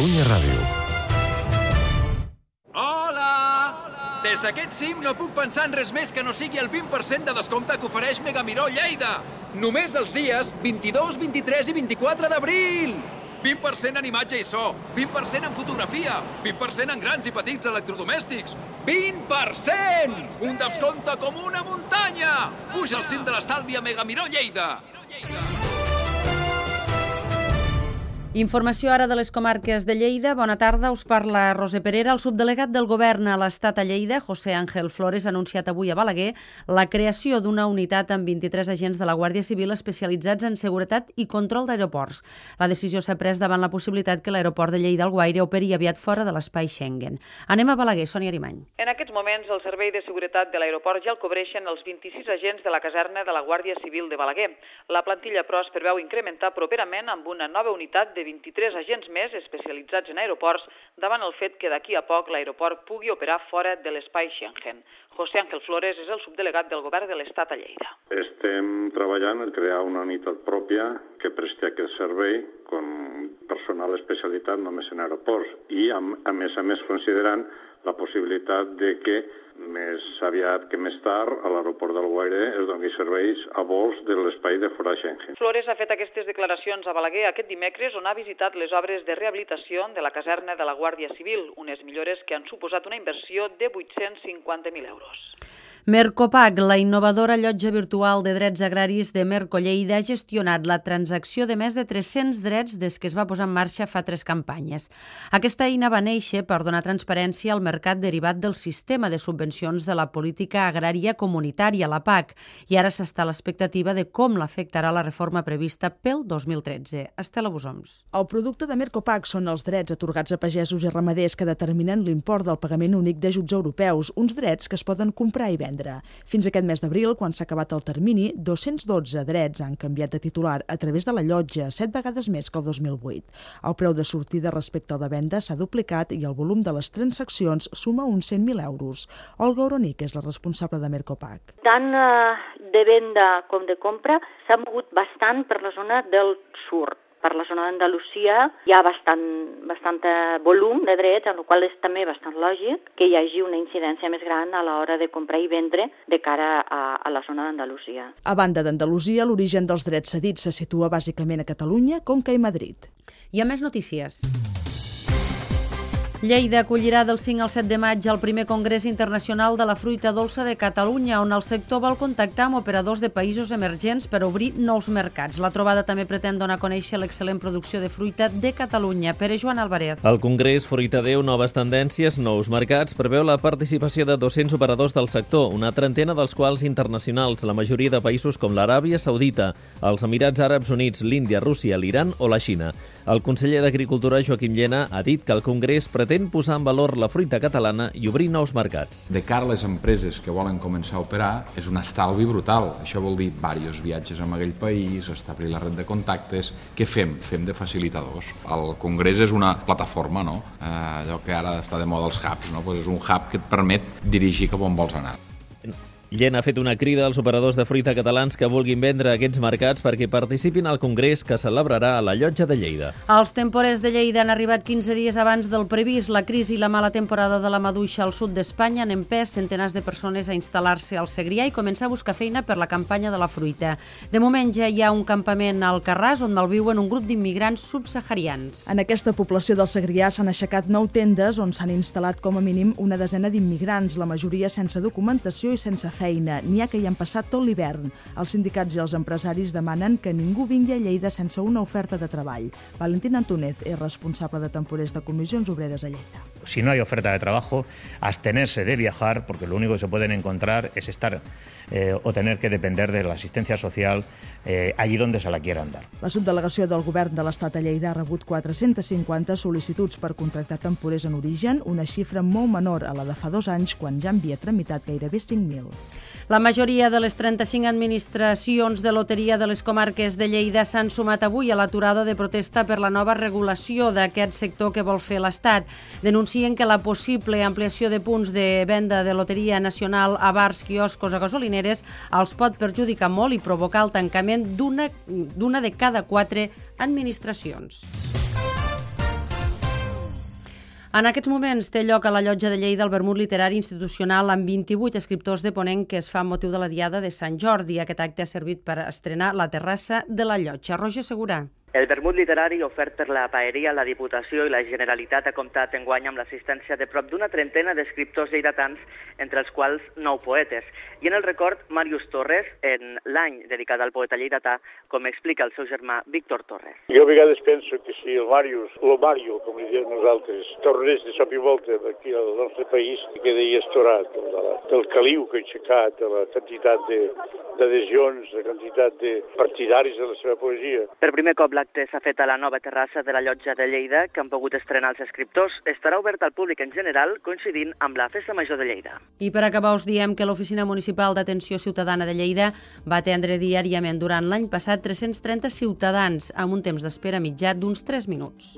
Catalunya Ràdio. Hola! Des d'aquest cim no puc pensar en res més que no sigui el 20% de descompte que ofereix Megamiró Lleida. Només els dies 22, 23 i 24 d'abril. 20% en imatge i so, 20% en fotografia, 20% en grans i petits electrodomèstics. 20%! Un descompte com una muntanya! Puja al cim de l'estalvi a Megamiró Lleida. Informació ara de les comarques de Lleida. Bona tarda, us parla Roser Perera. El subdelegat del Govern a l'Estat a Lleida, José Ángel Flores, ha anunciat avui a Balaguer la creació d'una unitat amb 23 agents de la Guàrdia Civil especialitzats en seguretat i control d'aeroports. La decisió s'ha pres davant la possibilitat que l'aeroport de Lleida-Alguaire operi aviat fora de l'espai Schengen. Anem a Balaguer, Sònia Arimany. En aquests moments, el Servei de Seguretat de l'Aeroport ja el cobreixen els 26 agents de la caserna de la Guàrdia Civil de Balaguer. La plantilla, però, es preveu incrementar properament amb una nova unitat de 23 agents més especialitzats en aeroports davant el fet que d'aquí a poc l'aeroport pugui operar fora de l'espai Schengen. José Ángel Flores és el subdelegat del Govern de l'Estat a Lleida. Estem treballant en crear una unitat pròpia que presti aquest servei con personal especialitzat només en aeroports i, a més considerant la possibilitat de que més aviat que més tard a l'aeroport d'Alguaire es doni serveis a vols de l'espai de fora Schengen. Flores ha fet aquestes declaracions a Balaguer aquest dimecres, on ha visitat les obres de rehabilitació de la caserna de la Guàrdia Civil, unes millores que han suposat una inversió de 850.000 euros. Mercopac, la innovadora llotja virtual de drets agraris de Mercolleida, ha gestionat la transacció de més de 300 drets des que es va posar en marxa fa 3 campanyes. Aquesta eina va néixer per donar transparència al mercat derivat del sistema de subvencions de la política agrària comunitària, la PAC, i ara s'està a l'expectativa de com l'afectarà la reforma prevista pel 2013. Estela Busoms. El producte de Mercopac són els drets atorgats a pagesos i ramaders que determinen l'import del pagament únic d'ajuts europeus, uns drets que es poden comprar i vendre. Fins aquest mes d'abril, quan s'ha acabat el termini, 212 drets han canviat de titular a través de la llotja, 7 vegades més que el 2008. El preu de sortida respecte al de venda s'ha duplicat i el volum de les transaccions suma uns 100.000 euros. Olga Oronic és la responsable de Mercopac. Tant de venda com de compra s'ha mogut bastant per la zona del sud. Per la zona d'Andalusia hi ha bastant volum de drets, en el qual és també bastant lògic que hi hagi una incidència més gran a l'hora de comprar i vendre de cara a la zona d'Andalusia. A banda d'Andalusia, l'origen dels drets cedits se situa bàsicament a Catalunya, Conca i Madrid. I a més notícies. Lleida acollirà del 5 al 7 de maig el primer Congrés Internacional de la Fruita Dolça de Catalunya, on el sector vol contactar amb operadors de països emergents per obrir nous mercats. La trobada també pretén donar a conèixer l'excel·lent producció de fruita de Catalunya. Pere Joan Álvarez. El Congrés Fruita Déu, noves tendències, nous mercats, preveu la participació de 200 operadors del sector, una trentena dels quals internacionals, la majoria de països com l'Aràbia Saudita, els Emirats Àrabs Units, l'Índia, Rússia, l'Iran o la Xina. El conseller d'Agricultura, Joaquim Llena, ha dit que el Congrés pretén posar en valor la fruita catalana i obrir nous mercats. De cara a les empreses que volen començar a operar, és un estalvi brutal. Això vol dir diversos viatges a aquell país, establir la red de contactes. Què fem? Fem de facilitadors. El Congrés és una plataforma, no? Allò que ara està de moda els hubs, no? Pues és un hub que et permet dirigir cap on vols anar. Llena ha fet una crida als operadors de fruita catalans que vulguin vendre aquests mercats perquè participin al Congrés que celebrarà a la Llotja de Lleida. Els temporers de Lleida han arribat 15 dies abans del previst. La crisi i la mala temporada de la maduixa al sud d'Espanya han empès centenars de persones a instal·lar-se al Segrià i començar a buscar feina per la campanya de la fruita. De moment ja hi ha un campament al Carràs on malviuen un grup d'immigrants subsaharians. En aquesta població del Segrià s'han aixecat 9 tendes on s'han instal·lat com a mínim una desena d'immigrants, la majoria sense documentació i sense feina. N'hi ha que hi han passat tot l'hivern. Els sindicats i els empresaris demanen que ningú vingui a Lleida sense una oferta de treball. Valentín Antúnez és responsable de temporers de Comissions Obreres a Lleida. Si no hay oferta de trabajo, abstenerse de viajar, porque lo único que se pueden encontrar es estar o tener que depender de la asistencia social allí donde se la quieran dar. La subdelegació del Govern de l'Estat a Lleida ha rebut 450 sol·licituds per contractar temporers en origen, una xifra molt menor a la de fa 2 anys, quan ja havia tramitat gairebé 5.000. La majoria de les 35 administracions de loteria de les comarques de Lleida s'han sumat avui a l'aturada de protesta per la nova regulació d'aquest sector que vol fer l'Estat. Denuncien que la possible ampliació de punts de venda de loteria nacional a bars, quioscos o gasolineres els pot perjudicar molt i provocar el tancament d'una de cada 4 administracions. En aquests moments té lloc a la Llotja de Lleida el vermut literari institucional amb 28 escriptors de ponent que es fa amb motiu de la Diada de Sant Jordi. Aquest acte ha servit per estrenar la terrassa de la Llotja. Roger Segurà. El vermut literari ofert per la Paeria, la Diputació i la Generalitat ha comptat enguany amb l'assistència de prop d'una trentena d'escriptors lleidatans, entre els quals 9 poetes. I en el record, Màrius Torres, en l'any dedicat al poeta lleidatà, com explica el seu germà Víctor Torres. Jo a vegades penso que si el Mario, com li diem nosaltres, tornés de sop i volta aquí al nostre país, quedaria estorat del caliu que ha aixecat, de la quantitat d'adhesions, de quantitat de partidaris de la seva poesia. Per primer cop l'acte s'ha fet a la nova terrassa de la Llotja de Lleida, que han pogut estrenar els escriptors. Estarà obert al públic en general, coincidint amb la Festa Major de Lleida. I per acabar us diem que l'Oficina Municipal d'Atenció Ciutadana de Lleida va atendre diàriament durant l'any passat 330 ciutadans amb un temps d'espera mitjà d'uns 3 minuts.